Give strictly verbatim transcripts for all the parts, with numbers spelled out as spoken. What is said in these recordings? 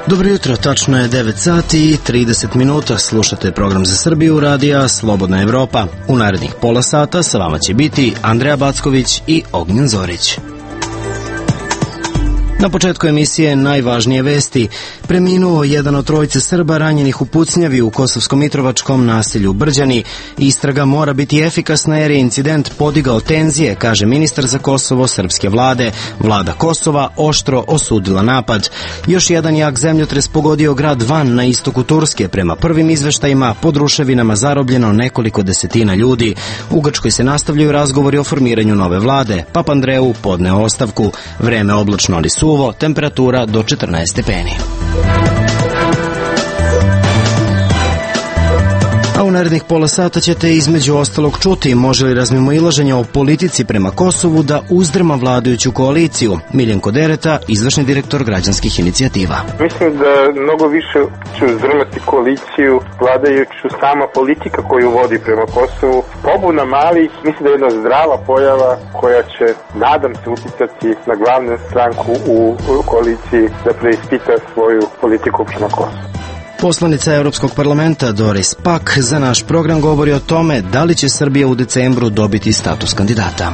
Dobro jutro, tačno je devet sati i trideset minuta, slušate program za Srbiju radija Slobodna Evropa. U narednih pola sata sa vama će biti Andreja Backović i Ognjen Zorić. Na početku emisije najvažnije vesti. Preminuo jedan od trojice Srba ranjenih u pucnjavi u Kosovsko-Mitrovačkom naselju Brđani. Istraga mora biti efikasna jer je incident podigao tenzije, kaže ministar za Kosovo srpske vlade. Vlada Kosova oštro osudila napad. Još jedan jak zemljotres pogodio grad Van na istoku Turske. Prema prvim izveštajima pod ruševinama zarobljeno nekoliko desetina ljudi. U Grčkoj se nastavljaju razgovori o formiranju nove vlade. Papandreou podneo ostavku. Vreme oblačno ali suvo, temperatura do četrnaest stepeni. A u narednih pola sata ćete između ostalog čuti može li razmimoilaženje o politici prema Kosovu da uzdrma vladajuću koaliciju. Miljenko Dereta, izvršni direktor građanskih inicijativa. Mislim da mnogo više će uzdrmati koaliciju vladajuću sama politika koju vodi prema Kosovu. Pobuna malih, mislim da je jedna zdrava pojava koja će, nadam se, uticati na glavnu stranku u koaliciji da preispita svoju politiku prema Kosovu. Poslanica Europskog parlamenta Doris Pack za naš program govori o tome da li će Srbija u decembru dobiti status kandidata.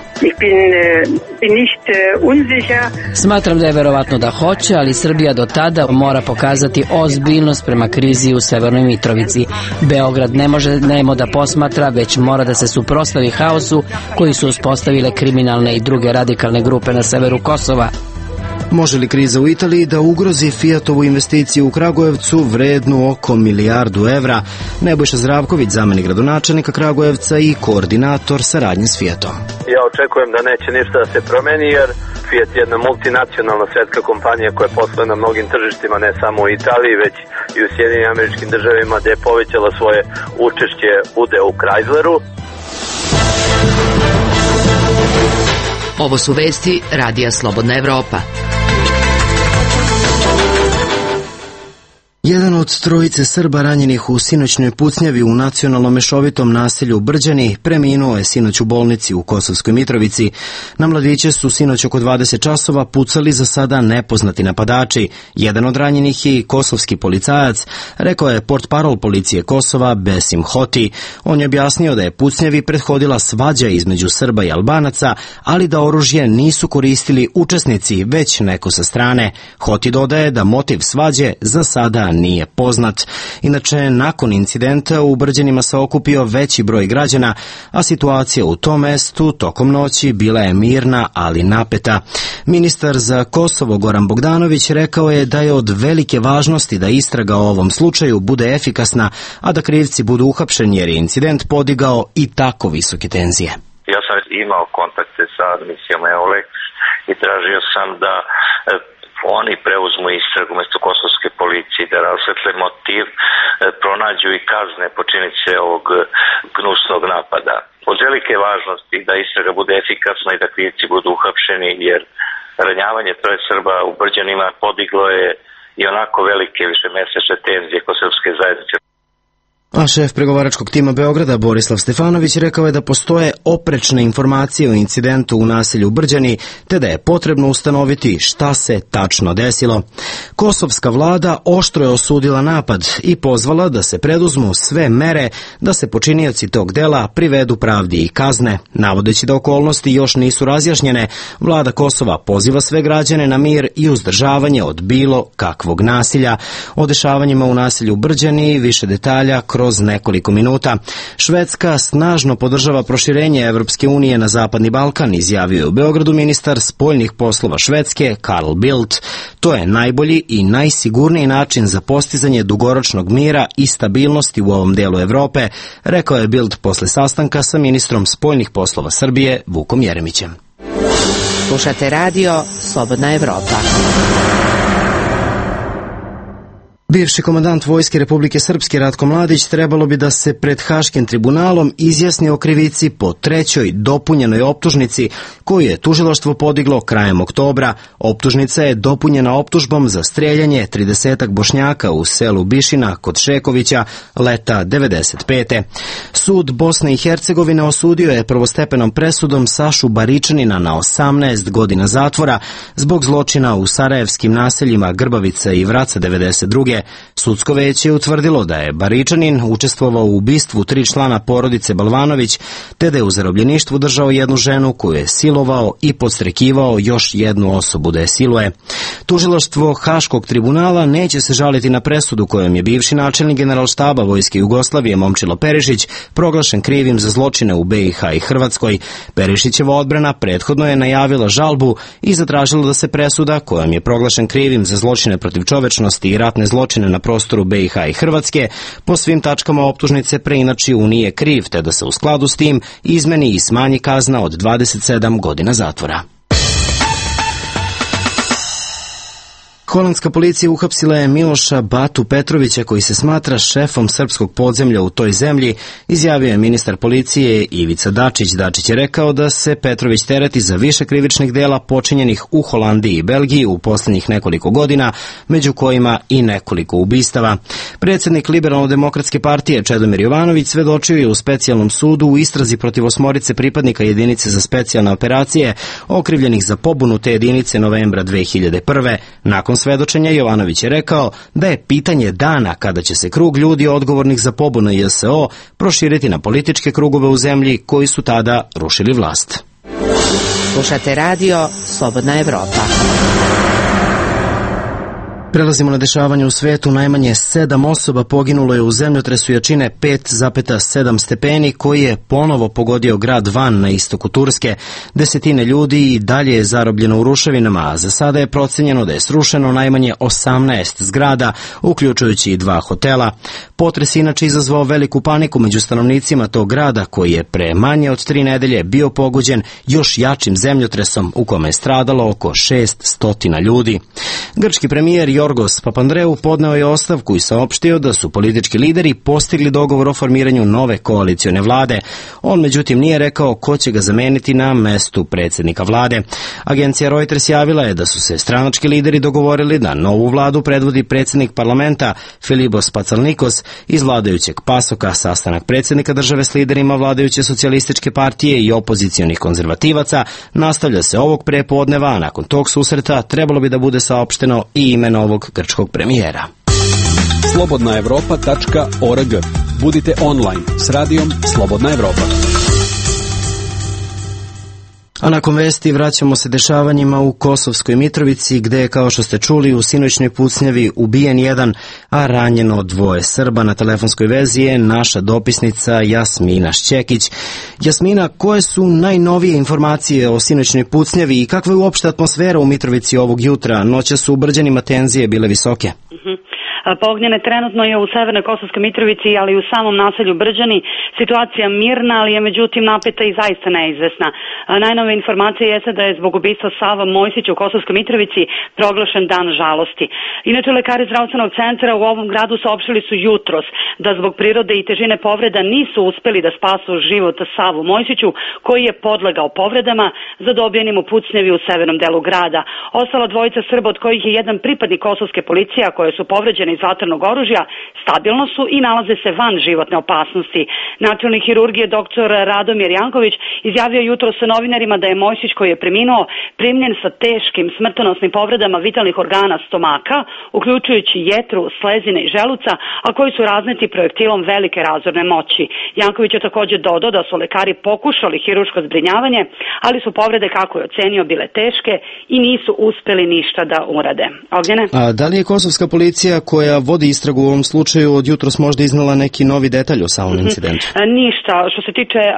Smatram da je verovatno da hoće, ali Srbija do tada mora pokazati ozbiljnost prema krizi u Severnoj Mitrovici. Beograd ne može nemo da posmatra, već mora da se suprotstavi haosu koji su uspostavile kriminalne i druge radikalne grupe na severu Kosova. Može li kriza u Italiji da ugrozi Fijatovu investiciju u Kragujevcu vrednu oko milijardu evra? Nebojša Zdravković, zamenik gradonačelnika Kragujevca i koordinator saradnje s Fijatom. Ja očekujem da neće ništa da se promeni jer Fijat je jedna multinacionalna svetska kompanija koja posluje na mnogim tržištima, ne samo u Italiji, već i u Sjedinjenim Američkim Državama, gde je povećala svoje učešće udeo u Chrysleru. Ovo su vesti radija Slobodna Evropa. Jedan od trojice Srba ranjenih u sinoćnoj pucnjavi u nacionalnom mešovitom naselju Brđani preminuo je sinoć u bolnici u Kosovskoj Mitrovici. Na mladiće su sinoć oko dvadeset časova pucali za sada nepoznati napadači. Jedan od ranjenih je kosovski policajac, rekao je portparol policije Kosova Besim Hoti. On je objasnio da je pucnjavi prethodila svađa između Srba i Albanaca, ali da oružje nisu koristili učesnici, već neko sa strane. Hoti dodaje da motiv svađe za sada nije poznat. Inače, nakon incidenta u Brđanima se okupio veći broj građana, a situacija u tom mestu tokom noći bila je mirna, ali napeta. Ministar za Kosovo Goran Bogdanović rekao je da je od velike važnosti da istraga o ovom slučaju bude efikasna, a da krivci budu uhapšeni jer je incident podigao i tako visoke tenzije. Ja sam imao kontakte sa misijom EULEX i tražio sam da oni preuzmu istragu mesto kosovske policije, da rasvetle motiv, pronađu i kazne počinitelje ovog gnusnog napada. Od velike važnosti da istraga bude efikasna i da krivci budu uhapšeni, jer ranjavanje troje Srba u Brđanima podiglo je i onako velike višemesečne tenzije kod srpske zajednice. A šef pregovaračkog tima Beograda Borislav Stefanović rekao je da postoje oprečne informacije o incidentu u naselju Brđani, te da je potrebno ustanoviti šta se tačno desilo. Kosovska vlada oštro je osudila napad i pozvala da se preduzmu sve mere da se počinioci tog dela privedu pravdi i kazne. Navodeći da okolnosti još nisu razjašnjene, vlada Kosova poziva sve građane na mir i uzdržavanje od bilo kakvog nasilja. O dešavanjima u naselju Brđani više detalja kroz nekoliko minuta. Švedska snažno podržava proširenje Evropske unije na Zapadni Balkan, izjavio je u Beogradu ministar spoljnih poslova Švedske Carl Bildt. To je najbolji i najsigurniji način za postizanje dugoročnog mira i stabilnosti u ovom delu Evrope, rekao je Bildt posle sastanka sa ministrom spoljnih poslova Srbije Vukom Jeremićem. Slušate radio Slobodna Evropa. Bivši komandant Vojske Republike Srpske Ratko Mladić trebalo bi da se pred Haškim tribunalom izjasni o krivici po trećoj dopunjenoj optužnici koju je tužilaštvo podiglo krajem oktobra. Optužnica je dopunjena optužbom za streljanje tridesetak Bošnjaka u selu Bišina kod Šekovića leta devedeset pete. Sud Bosne i Hercegovine osudio je prvostepenom presudom Sašu Baričanina na osamnaest godina zatvora zbog zločina u sarajevskim naseljima Grbavica i Vraca devedeset druge. Sudsko veće je utvrdilo da je Baričanin učestvovao u ubistvu tri člana porodice Balvanović, te da je u zarobljeništvu držao jednu ženu koju je silovao i podstrekivao još jednu osobu da je siluje. Tužilaštvo Haškog tribunala neće se žaliti na presudu kojom je bivši načelnik Generalštaba Vojske Jugoslavije Momčilo Perišić proglašen krivim za zločine u B i H i Hrvatskoj. Perišićeva odbrana prethodno je najavila žalbu i zatražila da se presuda kojom je proglašen krivim za zločine protiv čovečnosti i ratne zločine na prostoru B i H i Hrvatske po svim tačkama optužnice preinači u nije kriv, te da se u skladu s tim izmeni i smanji kazna od dvadeset sedam godina zatvora. Holandska policija uhapsila je Miloša Batu Petrovića koji se smatra šefom srpskog podzemlja u toj zemlji, izjavio je ministar policije Ivica Dačić. Dačić je rekao da se Petrović tereti za više krivičnih dela počinjenih u Holandiji i Belgiji u posljednjih nekoliko godina, među kojima i nekoliko ubistava. Predsjednik Liberalno-demokratske partije Čedomir Jovanović svedočio je u specijalnom sudu u istrazi protiv osmorice pripadnika jedinice za specijalne operacije okrivljenih za pobunu te jedinice novembra dve hiljade prve. Nakon svedočenja Jovanović je rekao da je pitanje dana kada će se krug ljudi odgovornih za pobunu J S O proširiti na političke krugove u zemlji koji su tada rušili vlast. Slušate radio Slobodna Evropa. Prelazimo na dešavanje u svetu. Najmanje sedam osoba poginulo je u zemljotresu jačine pet zarez sedam stepeni koji je ponovo pogodio grad Van na istoku Turske. Desetine ljudi i dalje je zarobljeno u ruševinama, a za sada je procenjeno da je srušeno najmanje osamnaest zgrada, uključujući i dva hotela. Potres inače izazvao veliku paniku među stanovnicima tog grada koji je pre manje od tri nedelje bio pogođen još jačim zemljotresom u kome je stradalo oko šest stotina ljudi. Grčki premijer Jorgos Papandreou podneo je ostavku i saopštio da su politički lideri postigli dogovor o formiranju nove koalicione vlade. On međutim nije rekao ko će ga zameniti na mestu predsjednika vlade. Agencija Reuters javila je da su se stranački lideri dogovorili da novu vladu predvodi predsjednik parlamenta Filibos Patsalnikos iz vladajućeg Pasoka. Sastanak predsjednika države s liderima vladajuće socijalističke partije i opozicionih konzervativaca nastavlja se ovog prepodneva, a nakon tog susreta trebalo bi da bude saopšteno i ime novog grčkog premijera. slobodna evropa tačka org. Budite online s radijom Slobodna Evropa. A nakon vesti vraćamo se dešavanjima u Kosovskoj Mitrovici, gde je, kao što ste čuli, u sinoćnoj pucnjavi ubijen jedan, a ranjeno dvoje Srba. Na telefonskoj vezi je naša dopisnica Jasmina Šćekić. Jasmina, koje su najnovije informacije o sinoćnoj pucnjavi i kakva je uopšte atmosfera u Mitrovici ovog jutra? Noća su u Brđanima tenzije bile visoke. Mm-hmm. Pognjene trenutno je u severnoj Kosovskoj Mitrovici, ali i u samom naselju Brđani. Situacija mirna, ali je međutim napeta i zaista neizvesna. Najnove informacije jeste da je zbog ubistva Sava Mojsića u Kosovskoj Mitrovici proglašen dan žalosti. Inače, lekari zdravstvenog centra u ovom gradu saopštili su jutros da zbog prirode i težine povreda nisu uspeli da spasu život Savu Mojsiću, koji je podlegao povredama zadobijenim u pucnjevi u severnom delu grada. Ostala dvojica Srba, od kojih je jedan pripadnik kosovske policije, a koje su povređene iz vatrenog oružja, stabilno su i nalaze se van životne opasnosti. Načelnik hirurgije doktor Radomir Janković izjavio jutro sa novinarima da je Mojsić, koji je preminuo, primljen sa teškim smrtonosnim povredama vitalnih organa stomaka, uključujući jetru, slezine i želuca, a koji su razneti projektilom velike razorne moći. Janković je također dodao da su lekari pokušali hirurško zbrinjavanje, ali su povrede, kako je ocenio, bile teške i nisu uspeli ništa da urade. Ognjene? A da li je kosovska policija koja vodi istragu u ovom slučaju od jutros možda iznala neki novi detalj o samom incidentu? Ništa. Što se tiče uh,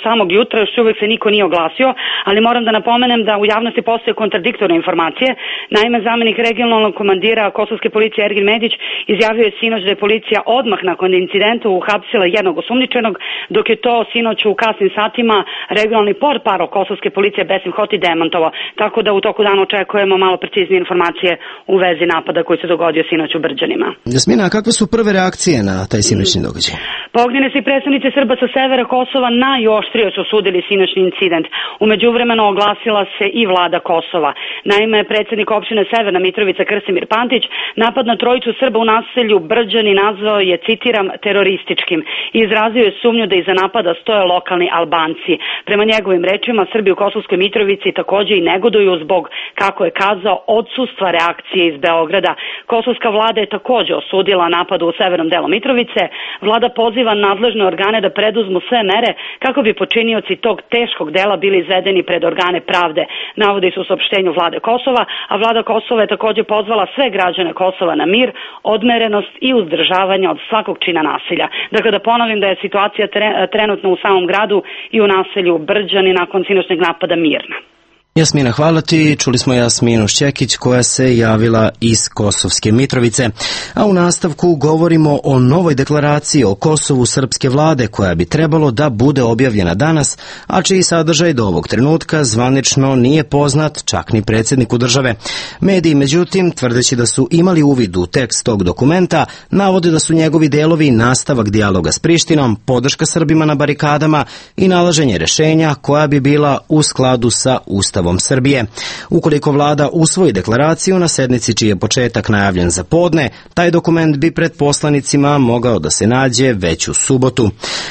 samog jutra, još uvijek se niko nije oglasio, ali moram da napomenem da u javnosti postoje kontradiktorne informacije. Naime, zamenik regionalnog komandira kosovske policije Ergin Medić izjavio je sinoć da je policija odmah nakon incidenta uhapsila jednog osumnjičenog, dok je to sinoć u kasnim satima regionalni portparol kosovske policije Besim Hoti demantovao. Tako da u toku dana očekujemo malo preciznije informacije u vezi napada koji se dogodio sinoć u Brđanima. Brđanima. Jasmina, kakve su prve reakcije na taj sinoćni događaj? Pa ognjeni predstavnici Srba sa severa Kosova najoštrije su osudili sinoćni incident. U međuvremenu oglasila se i vlada Kosova. Naime, predsjednik opštine Severna Mitrovica Krsimir Pantić napad na trojicu Srba u naselju Brđani nazvao je, citiram, terorističkim i izrazio je sumnju da iza napada stoje lokalni Albanci. Prema njegovim rečima, Srbi u Kosovskoj Mitrovici takođe i negoduju zbog, kako je kazao, odsustva reakcije iz Beograda. Kosovska vlada je takođe osudila napad u severnom delu Mitrovice. Vlada poziva nadležne organe da preduzmu sve mere kako bi počinioci tog teškog dela bili izvedeni pred organe pravde, navodi se u saopštenju vlade Kosova, a vlada Kosova je takođe pozvala sve građane Kosova na mir, odmerenost i uzdržavanje od svakog čina nasilja. Dakle, da ponovim da je situacija trenutno u samom gradu i u naselju Brđani nakon sinoćnog napada mirna. Jasmina, hvala ti. Čuli smo Jasminu Šćekić koja se javila iz Kosovske Mitrovice. A u nastavku govorimo o novoj deklaraciji o Kosovu srpske vlade koja bi trebalo da bude objavljena danas, a čiji sadržaj do ovog trenutka zvanično nije poznat čak ni predsjedniku države. Mediji, međutim, tvrdeći da su imali uvid u tekst tog dokumenta, navode da su njegovi delovi nastavak dijaloga s Prištinom, podrška Srbima na barikadama i nalaženje rešenja koja bi bila u skladu sa Ustavom Srbije. Ukoliko vlada usvoji deklaraciju na sednici čiji je početak najavljen za podne, taj dokument bi pred poslanicima mogao da se nađe već u subotu.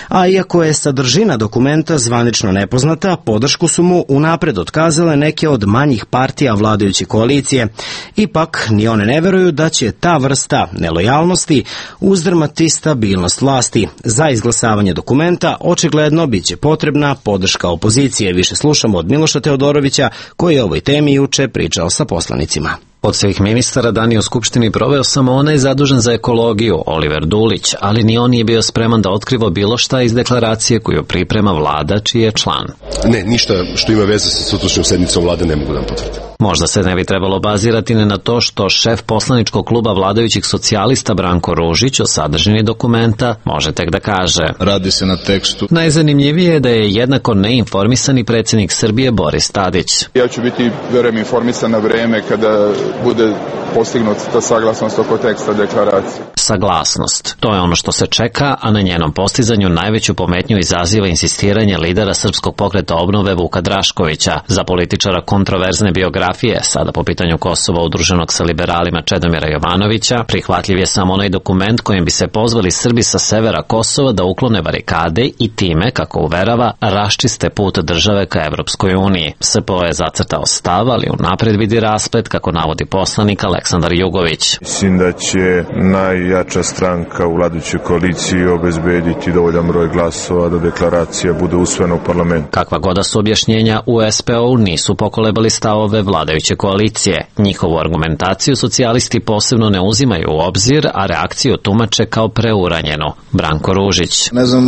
A iako je sadržina dokumenta zvanično nepoznata, podršku su mu unapred otkazale neke od manjih partija vladajuće koalicije. Ipak, ni one ne veruju da će ta vrsta nelojalnosti uzdrmati stabilnost vlasti. Za izglasavanje dokumenta očigledno biće potrebna podrška opozicije. Više slušamo od Miloša Teodorovića, koji je o ovoj temi juče pričao sa poslanicima. Od svih ministara dan je u Skupštini proveo samo onaj zadužen za ekologiju, Oliver Dulić, ali ni on nije bio spreman da otkriva bilo šta iz deklaracije koju priprema vlada čiji je član. Ne, ništa što ima veze sa sutrašnjom sednicom vlade ne mogu da potvrdim. Možda se ne bi trebalo bazirati ne na to što šef poslaničkog kluba vladajućih socijalista Branko Ružić o sadržini dokumenta može tek da kaže. Radi se na tekstu. Najzanimljivije je da je jednako neinformisani predsjednik Srbije Boris Tadić. Ja ću biti, verujem, informisan na vreme kada bude postignut ta saglasnost oko teksta deklaracije. Saglasnost. To je ono što se čeka, a na njenom postizanju najveću pometnju izaziva insistiranje lidera Srpskog pokreta obnove Vuka Draškovića. Za političara kontroverzne biografije, sada po pitanju Kosova udruženog sa liberalima Čedomira Jovanovića, prihvatljiv je samo onaj dokument kojim bi se pozvali Srbi sa severa Kosova da uklone barikade i time, kako uverava, raščiste put države ka Evropskoj uniji. S P O je zacrtao stav, ali unapred vidi rasplet, kako navodi poslanik Aleksandar Jugović. Mislim da će najjača stranka u vladajućoj koaliciji obezbediti dovoljan broj glasova da deklaracija bude usvojena u parlamentu. Kakva goda su objašnjenja u S P O-u nisu pokolebali stavove vladajuće koalicije. Njihovu argumentaciju socijalisti posebno ne uzimaju u obzir, a reakciju tumače kao preuranjenu. Branko Ružić. Ne znam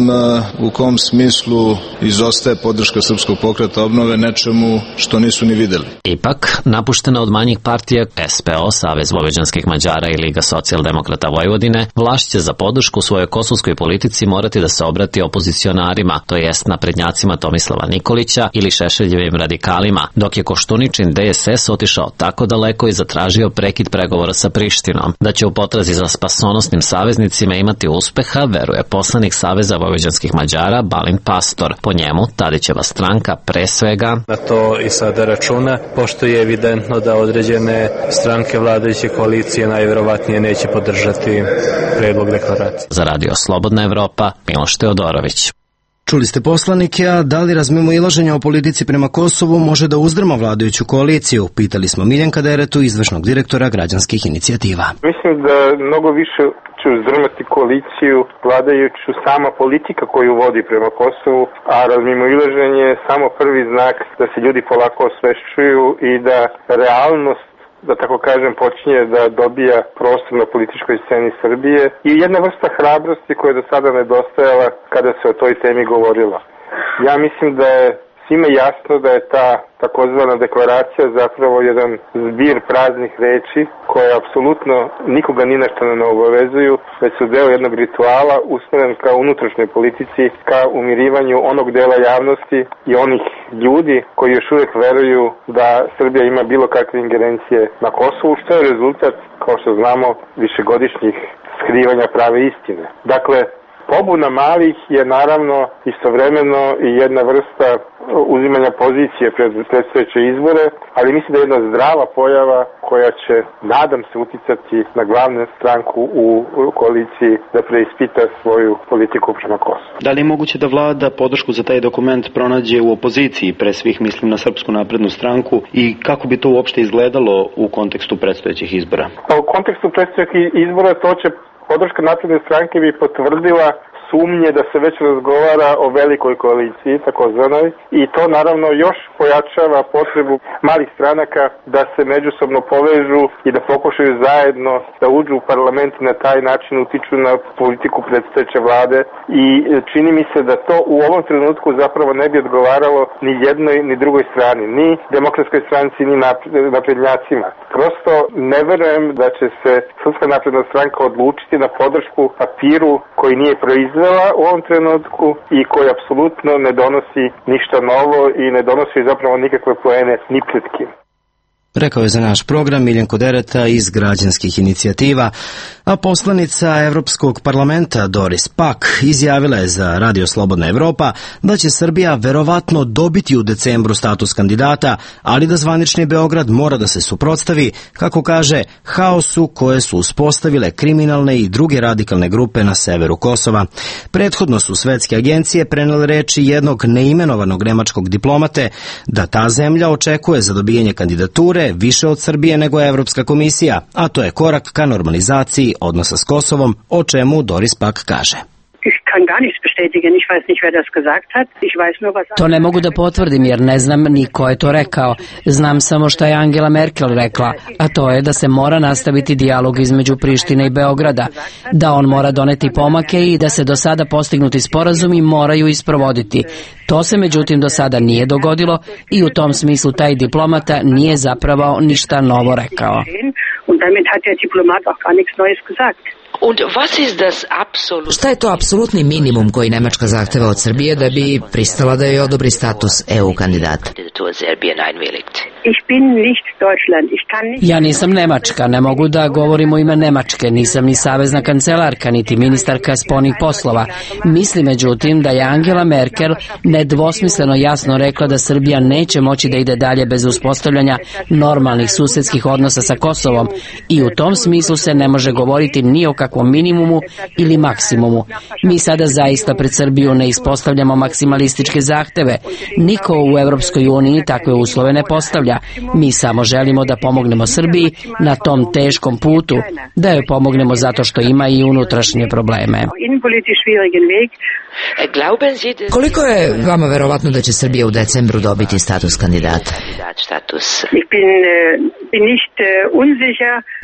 u kom smislu izostaje podrška Srpskog pokreta obnove nečemu što nisu ni videli. Ipak, napuštena od manjih partija S P O, Savez vojvođanskih Mađara i Liga socijaldemokrata Vojvodine, vlast će za podršku svojoj kosovskoj politici morati da se obrati opozicionarima, to jest naprednjacima Tomislava Nikolića ili Šešeljevim radikalima, dok je Koštuničin D S S otišao tako daleko i zatražio prekid pregovora sa Prištinom. Da će u potrazi za spasonosnim saveznicima imati uspeha, veruje poslanik Saveza vojvođanskih Mađara Balint Pastor. Po njemu, Tadićeva stranka pre svega na to i sada računa, pošto je evidentno da određene stranke vladajuće koalicije najverovatnije neće podržati predlog deklaracije. Za radio Slobodna Evropa, Miloš Teodorović. Čuli ste poslanike, a da li razmimo ilaženja o politici prema Kosovu može da uzdrma vladajuću koaliciju? Pitali smo Miljenka Deretu, izvršnog direktora građanskih inicijativa. Mislim da mnogo više će uzdrmati koaliciju vladajuću sama politika koju vodi prema Kosovu, a razmimo ilaženje je samo prvi znak da se ljudi polako osvešćuju i da realnost, da tako kažem, počinje da dobija prostor na političkoj sceni Srbije i jedna vrsta hrabrosti koja je do sada nedostajala kada se o toj temi govorilo. Ja mislim da je svima jasno da je ta takozvana deklaracija zapravo jedan zbir praznih reči koje apsolutno nikoga ni na što ne obavezuju, već su deo jednog rituala usmeren ka unutrašnjoj politici, ka umirivanju onog dela javnosti i onih ljudi koji još uvijek veruju da Srbija ima bilo kakve ingerencije na Kosovu, što je rezultat, kao što znamo, višegodišnjih skrivanja prave istine. Dakle, pobuna malih je naravno istovremeno i jedna vrsta uzimanja pozicije pred predstojeće izbore, ali mislim da je jedna zdrava pojava koja će, nadam se, uticati na glavnu stranku u koaliciji da preispita svoju politiku prema Kosovu. Da li je moguće da vlada podršku za taj dokument pronađe u opoziciji, pre svih mislim na Srpsku naprednu stranku, i kako bi to uopšte izgledalo u kontekstu predstojećih izbora? Pa u kontekstu predstojećih izbora to će podrška napredne stranke bi potvrdila sumnje da se već razgovara o velikoj koaliciji, takozvanoj, i to naravno još pojačava potrebu malih stranaka da se međusobno povežu i da pokušaju zajedno da uđu u parlament i na taj način utiču na politiku predstojeće vlade, i čini mi se da to u ovom trenutku zapravo ne bi odgovaralo ni jednoj ni drugoj strani, ni demokratskoj stranci, ni naprednjacima. Prosto ne verujem da će se Srpska napredna stranka odlučiti na podršku papiru koji nije proizveden u ovom trenutku i koji apsolutno ne donosi ništa novo i ne donosi zapravo nikakve poene ni pred kim. Rekao je za naš program Miljenko Dereta iz Građanskih inicijativa, a poslanica Evropskog parlamenta Doris Pack izjavila je za Radio Slobodna Evropa da će Srbija verovatno dobiti u decembru status kandidata, ali da zvanični Beograd mora da se suprotstavi, kako kaže, haosu koje su uspostavile kriminalne i druge radikalne grupe na severu Kosova. Prethodno su svetske agencije prenele reči jednog neimenovanog nemačkog diplomate da ta zemlja očekuje za dobijanje kandidature više od Srbije nego Evropska komisija, a to je korak ka normalizaciji odnosa s Kosovom, o čemu Doris Pack kaže. To ne mogu da potvrdim jer ne znam ni ko je to rekao. Znam samo šta je Angela Merkel rekla, a to je da se mora nastaviti dijalog između Prištine i Beograda, da on mora doneti pomake i da se do sada postignuti sporazumi moraju isprovoditi. To se međutim do sada nije dogodilo i u tom smislu taj diplomata nije zapravo ništa novo rekao. Šta je to apsolutni minimum koji Nemačka zahteva od Srbije da bi pristala da joj odobri status E U kandidata? Ja nisam Nemačka, ne mogu da govorim u ime Nemačke, nisam ni savezna kancelarka, niti ministarka spoljnih poslova. Mislim međutim da je Angela Merkel nedvosmisleno jasno rekla da Srbija neće moći da ide dalje bez uspostavljanja normalnih susedskih odnosa sa Kosovom i u tom smislu se ne može govoriti ni o kakvom minimumu ili maksimumu. Mi sada zaista pred Srbiju ne ispostavljamo maksimalističke zahteve. Niko u Evropskoj uniji takve uslove ne postavlja. Mi samo želimo da pomognemo Srbiji na tom teškom putu, da joj pomognemo zato što ima i unutrašnje probleme. Koliko je vama verovatno da će Srbija u decembru dobiti status kandidata?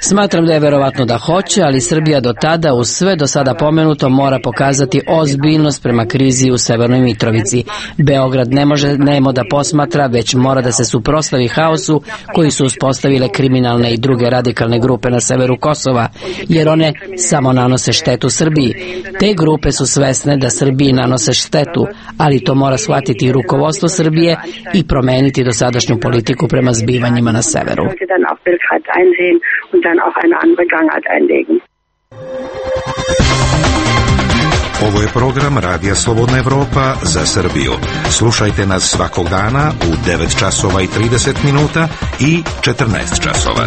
Smatram da je verovatno da hoće, ali Srbija do tada, uz sve do sada pomenuto, mora pokazati ozbiljnost prema krizi u Severnoj Mitrovici. Beograd ne može nemo da posmatra, već mora da se suprotstavi haosu koji su uspostavile kriminalne i druge radikalne grupe na severu Kosova, jer one samo nanose štetu Srbiji. Te grupe su svesne da Srbiji nanose štetu, ali to mora shvatiti i rukovodstvo Srbije i promeniti dosadašnju politiku prema zbivanjima na severu. Ovo je program Radija Slobodna Evropa za Srbiju. Slušajte nas svakog dana u devet časova i trideset minuta i četrnaest časova.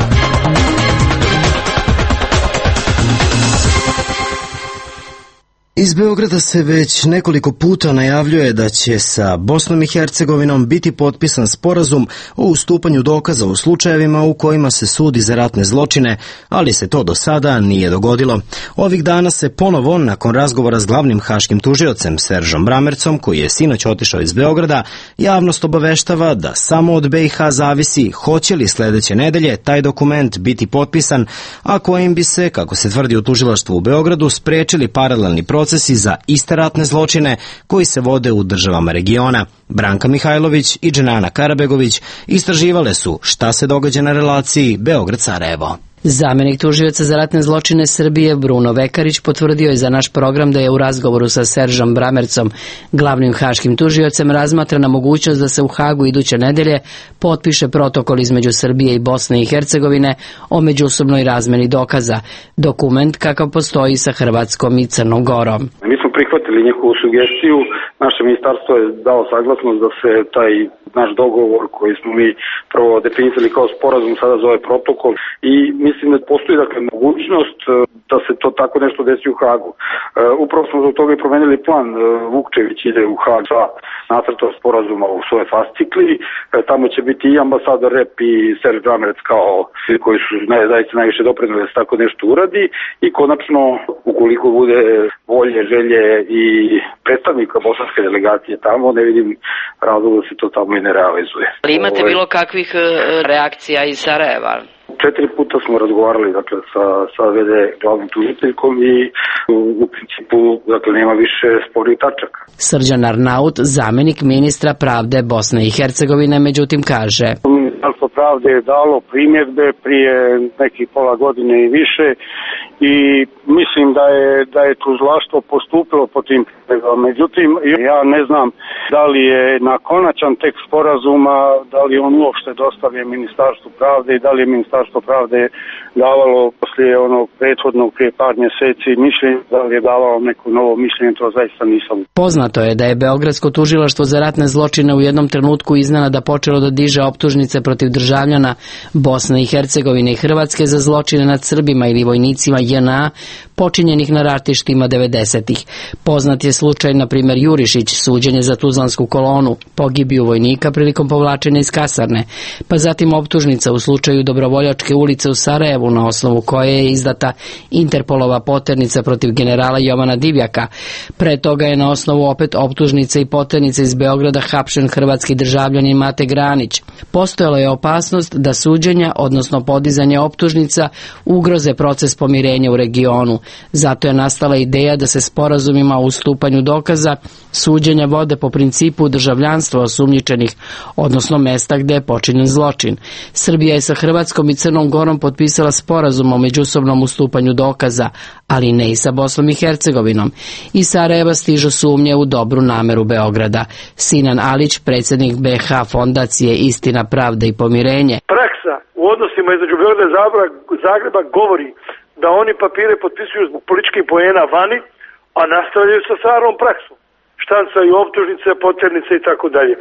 Iz Beograda se već nekoliko puta najavljuje da će sa Bosnom i Hercegovinom biti potpisan sporazum o ustupanju dokaza u slučajevima u kojima se sudi za ratne zločine, ali se to do sada nije dogodilo. Ovih dana se ponovo, nakon razgovora s glavnim haškim tužiocem Seržom Bramercom, koji je sinoć otišao iz Beograda, javnost obaveštava da samo od B i H zavisi hoće li sledeće nedelje taj dokument biti potpisan, a kojim bi se, kako se tvrdi u tužilaštvu u Beogradu, sprečili paralelni proces procesi za iste ratne zločine koji se vode u državama regiona. Branka Mihajlović i Dženana Karabegović istraživale su šta se događa na relaciji Beograd-Sarajevo. Zamenik tužioca za ratne zločine Srbije Bruno Vekarić potvrdio je za naš program da je u razgovoru sa Seržom Bramercom, glavnim haškim tužiocem, razmatrana mogućnost da se u Hagu iduće nedelje potpiše protokol između Srbije i Bosne i Hercegovine o međusobnoj razmeni dokaza, dokument kakav postoji sa Hrvatskom i Crnom Gorom. Mi smo prihvatili njihovu sugestiju, naše ministarstvo je dao saglasnost da se taj naš dogovor koji smo mi prvo definisali kao sporazum sada zove protokol i mislim da postoji dakle mogućnost da se to tako nešto desi u Hagu. E, upravo smo zbog toga i promenili plan. E, Vukčević ide u Hag sa nacrtom sporazuma u svoje fascikli. E, tamo će biti i ambasador Rep i Serž Bramerc kao svi koji su naj, zaista najviše doprinuli da se tako nešto uradi i konačno ukoliko bude volje, želje i predstavnika bosanske delegacije tamo, ne vidim razloga da se to tamo i ne realizuje. Ali imate bilo kakvih reakcija iz Sarajeva? Četiri puta smo razgovarali dakle, sa, sa ve de glavnom tužiteljkom i u, u principu dakle, nema više spornih tačaka. Srđan Arnaut, zamenik ministra pravde Bosne i Hercegovine, međutim kaže: Ministarstvo pravde je dalo primjedbe prije nekih pola godine i više i mislim da je, da je tužilaštvo postupilo po tim primjedbama. Međutim, ja ne znam da li je na konačan tekst sporazuma, da li on uopšte dostavljen Ministarstvu pravde i da li je Ministarstvo pravde davalo poslije onog prethodnog prije par mjeseci mišljenje, da li je davalo neko novo mišljenje, to zaista nisam. Poznato je da je Beogradsko tužilaštvo za ratne zločine u jednom trenutku iznenada počelo da diže optužnice protiv državljana Bosne i Hercegovine i Hrvatske za zločine nad Srbima ili vojnicima J N A počinjenih na ratištima devedesetih. Poznat je slučaj, na primjer, Jurišić, suđenje za Tuzlansku kolonu, pogibiju vojnika prilikom povlačenja iz kasarne, pa zatim optužnica u slučaju Dobrovoljačke ulice u Sarajevu, na osnovu koje je izdata Interpolova poternica protiv generala Jovana Divjaka. Pre toga je na osnovu opet optužnice i poternice iz Beograda hapšen hrvatski državljanin Mate Granić. Postojala je opasnost da suđenja, odnosno podizanje optužnica, ugroze proces pomirenja u regionu. Zato je nastala ideja da se sporazumima o ustupanju dokaza suđenja vode po principu državljanstva osumnjičenih, odnosno mesta gde je počinjen zločin. Srbija je sa Hrvatskom i Crnom Gorom potpisala sporazum o međusobnom ustupanju dokaza, ali ne i sa Bosnom i Hercegovinom. Iz Sarajeva stižu sumnje u dobru nameru Beograda. Sinan Alić, predsjednik B H fondacije Istina, pravda i pomirenje. Praksa u odnosima između Beograda i Zagreba govori da oni papire potpisuju zbog političkih poena vani, a nastavljaju sa starom praksom. Štancaju optužnice, poternice i tako dalje.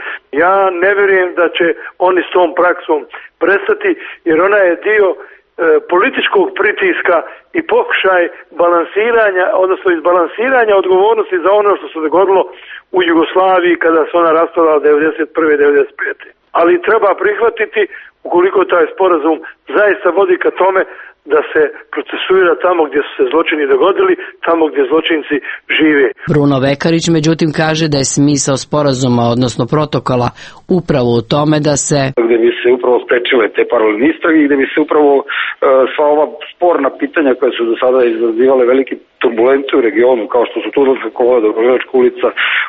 Ja ne vjerujem da će oni s tom praksom prestati, jer ona je dio e, političkog pritiska i pokušaj balansiranja, odnosno izbalansiranja odgovornosti za ono što se dogodilo u Jugoslaviji kada se ona raspadala devedeset prve devedeset pete Ali treba prihvatiti, ukoliko taj sporazum zaista vodi ka tome da se procesuira tamo gdje su se zločini dogodili, tamo gdje zločinci žive. Bruno Vekarić međutim kaže da je smisao sporazuma, odnosno protokola, upravo u tome da se gdje bi se upravo sprečile te paralelne istrage i gdje bi se upravo uh, sva ova sporna pitanja koja su do sada izazivale velike turbulencije u regionu, kao što su Tuzlanska kolona, Dobrovoljačka ulica,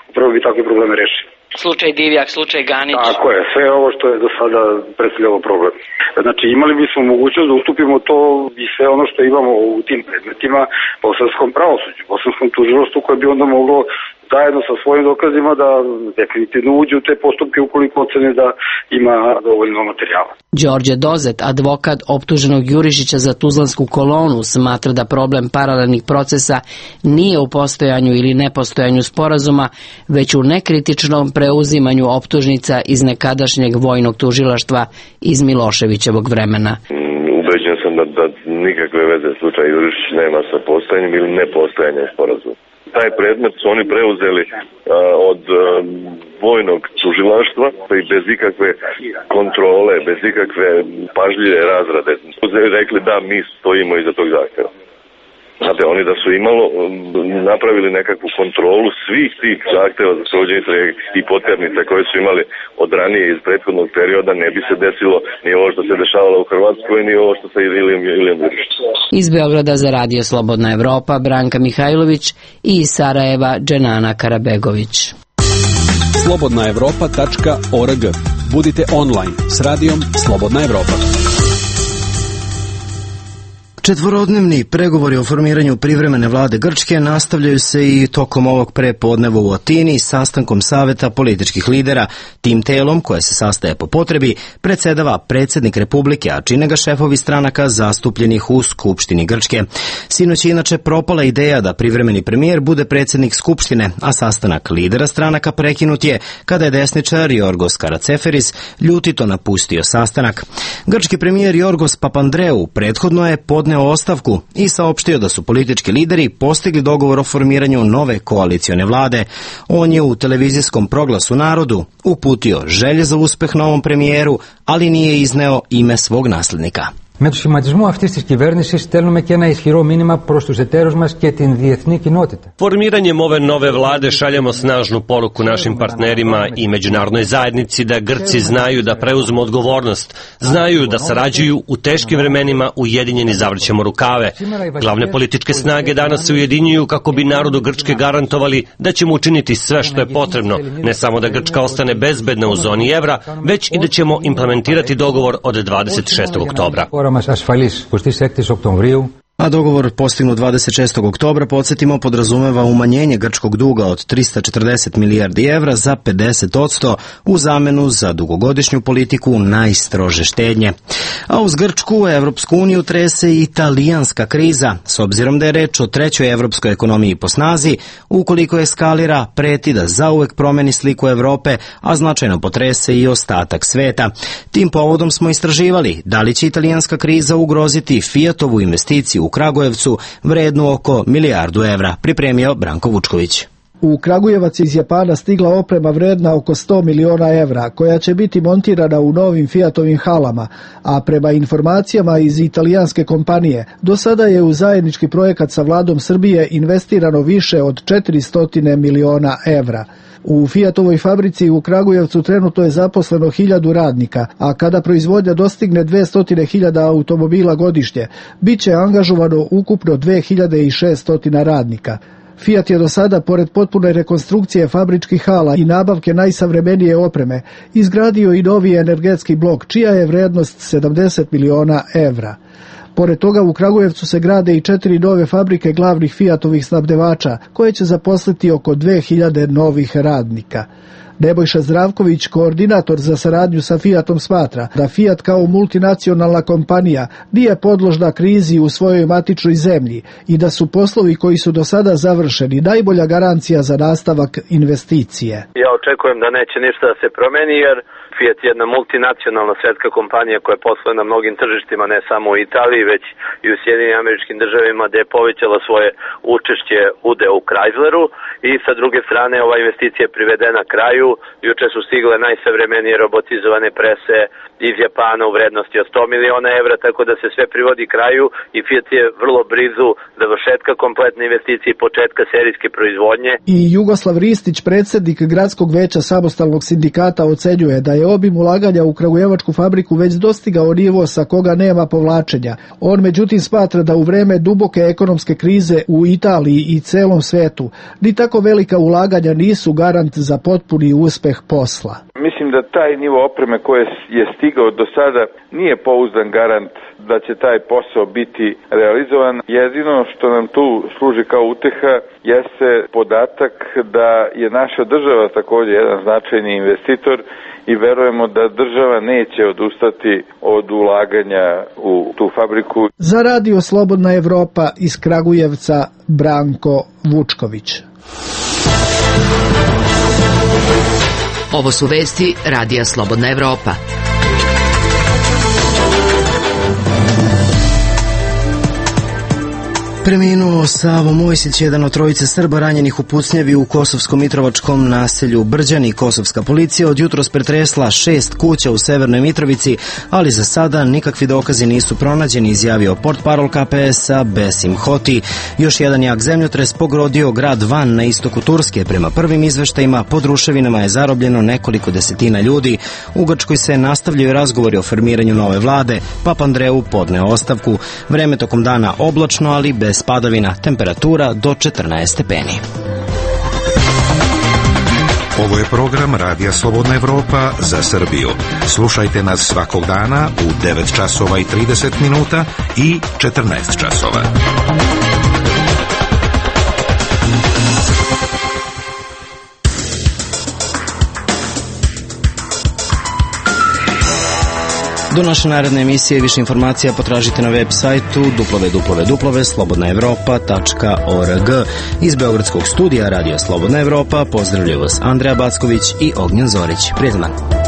upravo bi takve probleme rešili. Slučaj Divjak, slučaj Ganić. Tako je, sve ovo što je do sada predstavljalo problem. Znači imali bismo mogućnost da ustupimo to i sve ono što imamo u tim predmetima bosanskom pravosuđu, bosanskom tužilaštvu koje bi onda moglo zajedno sa svojim dokazima da definitivno uđe u te postupke ukoliko ocene da ima dovoljno materijala. Đorđe Dozet, advokat optuženog Jurišića za Tuzlansku kolonu, smatra da problem paralelnih procesa nije u postojanju ili nepostojanju sporazuma, već u nekritičnom preuzimanju optužnica iz nekadašnjeg vojnog tužilaštva iz Miloševićevog vremena. Ubeđen sam da, da nikakve veze slučaj Jurišić nema sa postojanjem ili nepostojanjem sporazuma. Taj predmet su oni preuzeli a, od a, vojnog tužilaštva i bez ikakve kontrole, bez ikakve pažljive razrade. Rekli da mi stojimo iza tog zahtjeva. Znate, oni da su imalo napravili nekakvu kontrolu svih tih zahteva za sprovođenje istrage i poternica koje su imali od ranije iz prethodnog perioda, ne bi se desilo ni ovo što se dešavalo u Hrvatskoj, ni ovo što se Ilijom Ilijom Iličić. Iz Beograda za Radio Slobodna Evropa Branka Mihajlović i iz Sarajeva Dženana Karabegović. slobodna evropa tačka org. Budite online s radijom Slobodna Evropa. Četvorodnevni pregovori o formiranju privremene vlade Grčke nastavljaju se i tokom ovog prepodneva u Atini sastankom Saveta političkih lidera. Tim telom, koje se sastaje po potrebi, predsedava predsjednik Republike, a čine ga šefovi stranaka zastupljenih u Skupštini Grčke. Sinoć je inače propala ideja da privremeni premijer bude predsjednik Skupštine, a sastanak lidera stranaka prekinut je kada je desničar Jorgos Karaceferis ljutito napustio sastanak. Grčki premijer Jorgos Papandreou prethodno je podneo ostavku i saopštio da su politički lideri postigli dogovor o formiranju nove koalicione vlade. On je u televizijskom proglasu narodu uputio želje za uspeh novom premijeru, ali nije izneo ime svog naslednika. Με το σχηματισμό αυτής της κυβέρνησης στέλνουμε και ένα ισχυρό μήνυμα προς τους εταίρους μας και την διεθνή κοινότητα. Formiranjem ove nove vlade šaljemo snažnu poruku našim partnerima i međunarodnoj zajednici da Grci znaju da preuzmu odgovornost, znaju da sarađuju u teškim vremenima, ujedinjeni zavrćemo rukave. Glavne političke snage danas se ujedinjuju kako bi narodu Grčke garantovali da ćemo učiniti sve što je potrebno, ne samo da Grčka ostane bezbedna u zoni evra, već i da ćemo implementirati dogovor od dvadeset šestog oktobra. A dogovor postignut dvadeset šestog oktobra, podsjetimo, podrazumeva umanjenje grčkog duga od trista četrdeset milijardi evra za pedeset odsto u zamenu za dugogodišnju politiku najstrože štednje. A uz Grčku, Evropsku uniju trese i italijanska kriza, s obzirom da je reč o trećoj evropskoj ekonomiji po snazi, ukoliko eskalira, preti da zauvek promeni sliku Evrope, a značajno potrese i ostatak sveta. Tim povodom smo istraživali da li će italijanska kriza ugroziti Fiatovu investiciju u Kragujevcu vrednu oko milijardu evra, pripremio Branko Vučković. U Kragujevac iz Japana stigla oprema vredna oko sto miliona evra, koja će biti montirana u novim Fiatovim halama, a prema informacijama iz italijanske kompanije, do sada je u zajednički projekat sa vladom Srbije investirano više od četiristo miliona evra. U Fiatovoj fabrici u Kragujevcu trenutno je zaposleno hiljadu radnika, a kada proizvodnja dostigne dvesta hiljada automobila godišnje, bit će angažovano ukupno dve hiljade šesto radnika. Fiat je do sada, pored potpune rekonstrukcije fabričkih hala i nabavke najsavremenije opreme, izgradio i novi energetski blok, čija je vrednost sedamdeset miliona evra. Pored toga u Kragujevcu se grade i četiri nove fabrike glavnih Fiatovih snabdevača, koje će zaposliti oko dve hiljade novih radnika. Nebojša Zdravković, koordinator za saradnju sa Fiatom, smatra da Fiat kao multinacionalna kompanija nije podložna krizi u svojoj matičnoj zemlji i da su poslovi koji su do sada završeni najbolja garancija za nastavak investicije. Ja očekujem da neće ništa da se promeni, jer Fiat je jedna multinacionalna svetska kompanija koja posluje na mnogim tržištima, ne samo u Italiji, već i u Sjedinim Američkim Državama, gde je povećala svoje učešće udeo u Chrysleru, i sa druge strane ova investicija je privedena kraju. Juče su stigle najsavremenije robotizovane prese iz Japana u vrednosti od sto miliona evra, tako da se sve privodi kraju i Fiat je vrlo blizu završetka kompletne investicije i početka serijske proizvodnje. I Jugoslav Ristić, predsjednik Gradskog veća samostalnog sindikata, ocenjuje da je obim ulaganja u kragujevačku fabriku već dostigao nivo sa koga nema povlačenja. On međutim smatra da u vreme duboke ekonomske krize u Italiji i celom svetu ni tako velika ulaganja nisu garant za potpuni uspeh posla. Mislim da taj nivo opreme koje je stigao do sada nije pouzdan garant da će taj posao biti realizovan. Jedino što nam tu služi kao uteha jeste podatak da je naša država također jedan značajni investitor i verujemo da država neće odustati od ulaganja u tu fabriku. Za Radio Slobodna Evropa iz Kragujevca, Branko Vučković. Ovo su vesti Radija Slobodna Evropa. Preminuo Savo Mojsić, jedan od trojice Srba ranjenih u pucnjevi u kosovsko-mitrovačkom naselju Brđani. Kosovska policija od jutros pretresla šest kuća u Severnoj Mitrovici, ali za sada nikakvi dokazi nisu pronađeni, izjavio portparol K P S-a Besim Hoti. Još jedan jak zemljotres pogodio grad Van na istoku Turske. Prema prvim izveštajima, pod ruševinama je zarobljeno nekoliko desetina ljudi. U Grčkoj se nastavljaju razgovori o formiranju nove vlade. Papa Andreu podneo ostavku. Vreme tokom dana oblačno, ali bez padavina, temperatura do četrnaest stepeni. Ovo je program Radija Slobodna Evropa za Srbiju. Slušajte nas svakog dana u devet časova i trideset minuta i četrnaest časova. Do naše naredne emisije više informacija potražite na web sajtu w w w tačka slobodna evropa tačka org. Iz Beogradskog studija Radija Slobodna Evropa pozdravljaju vas Andreja Backović i Ognjen Zorić. Prijatan dan.